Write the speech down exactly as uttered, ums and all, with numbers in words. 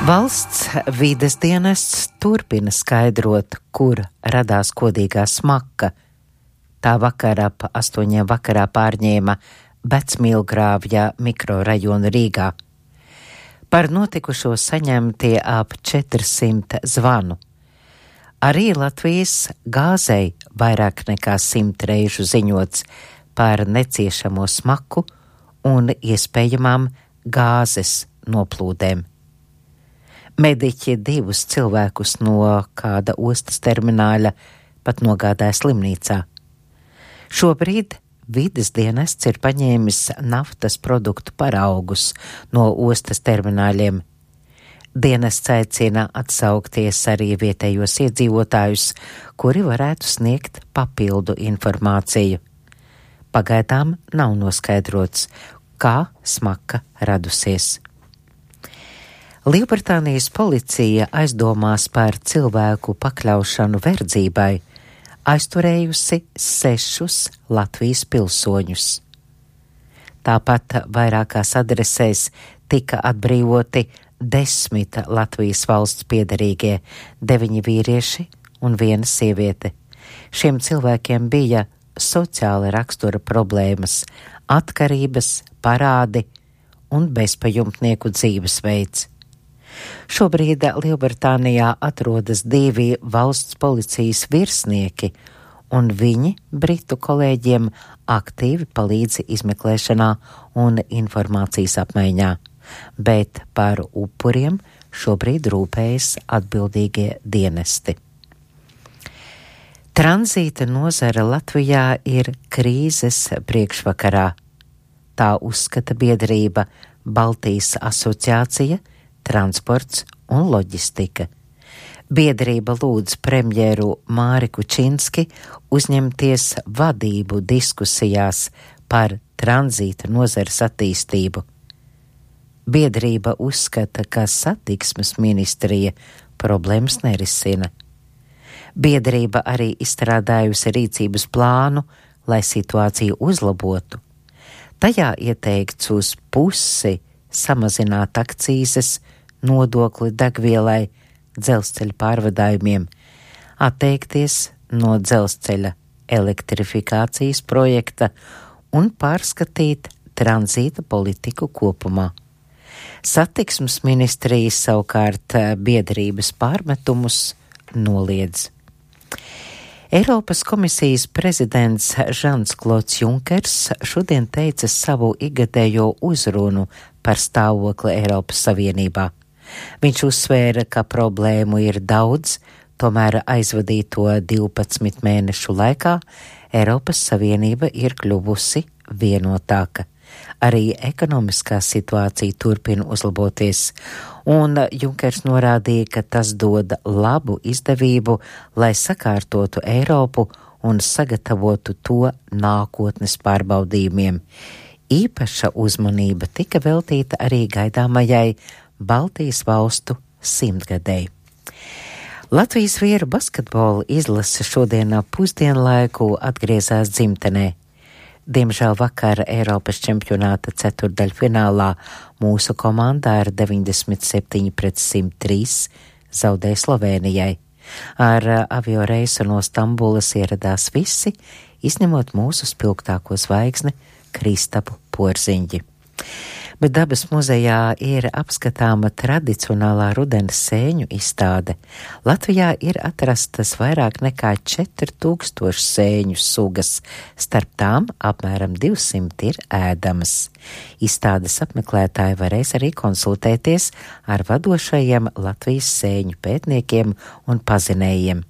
Valsts vides dienests turpina skaidrot, kur radās kodīgā smaka. Tā vakarā ap astoņiem vakarā pārņēma Vecmīlgrāvja mikrorajonu Rīgā. Par notikušo saņemtie ap četrsimt zvanu. Arī Latvijas gāzei vairāk nekā simt reižu ziņots par neciešamo smaku un iespējamām gāzes noplūdēm. Mediķi divus cilvēkus no kāda ostas termināļa pat nogādāja slimnīcā. Šobrīd vides dienests ir paņēmis naftas produktu paraugus no ostas termināļiem. Dienests aicina atsaukties arī vietējos iedzīvotājus, kuri varētu sniegt papildu informāciju. Pagaidām nav noskaidrots, kā smaka radusies. Lielbritānijas policija aizdomās par cilvēku pakļaušanu verdzībai, aizturējusi sešus Latvijas pilsoņus. Tāpat vairākās adresēs tika atbrīvoti desmit Latvijas valsts piederīgie, deviņi vīrieši un viena sieviete. Šiem cilvēkiem bija sociāla rakstura problēmas, atkarības, parādi un bezpajumtnieku dzīvesveids. Šobrīd Lielbritānijā atrodas divi valsts policijas virsnieki, un viņi britu kolēģiem aktīvi palīdz izmeklēšanā un informācijas apmaiņā, bet par upuriem šobrīd rūpējas atbildīgie dienesti. Tranzīta nozara Latvijā ir krīzes priekšvakarā. Tā uzskata biedrība Baltijas asociācija, transports un loģistika. Biedrība lūdz premjeru Māri Kučinski uzņemties vadību diskusijās par tranzīta nozares attīstību. Biedrība uzskata, ka satiksmes ministrija problēmas nerisina. Biedrība arī izstrādājusi rīcības plānu, lai situāciju uzlabotu. Tajā ieteikts uz pusi samazināt akcīzes, nodokli degvielai, dzelzceļa pārvadājumiem, atteikties no dzelzceļa elektrifikācijas projekta un pārskatīt tranzīta politiku kopumā. Satiksmes ministrija savukārt biedrības pārmetumus noliedz. Eiropas komisijas prezidents Žans Klods Junkers šodien teica savu ikgadējo uzrunu par stāvokli Eiropas Savienībā. Viņš uzsvēra, ka problēmu ir daudz, tomēr aizvadīto divpadsmit mēnešu laikā Eiropas Savienība ir kļuvusi vienotāka. Arī ekonomiskā situācija turpina uzlaboties, un Junkers norādīja, ka tas dod labu izdevību, lai sakārtotu Eiropu un sagatavotu to nākotnes pārbaudījumiem. Īpaša uzmanība tika veltīta arī gaidāmajai Baltijas valstu simtgadēji. Latvijas vīru basketbola izlase šodien ap pusdienlaiku atgriezās dzimtenē. Diemžēl vakar Eiropas čempionāta ceturdaļfinālā mūsu komandā ar deviņdesmit septiņi pret simt trīs zaudēja Slovēnijai. Ar avio reisu no Stambulas ieradās visi, izņemot mūsu spilgtāko zvaigzni Kristapu Porziņģi. Bet Dabas muzejā ir apskatāma tradicionālā rudens sēņu izstāde. Latvijā ir atrastas vairāk nekā četri tūkstoši sēņu sugas, starp tām apmēram divsimt ir ēdamas. Izstādes apmeklētāji varēs arī konsultēties ar vadošajiem Latvijas sēņu pētniekiem un pazinējiem.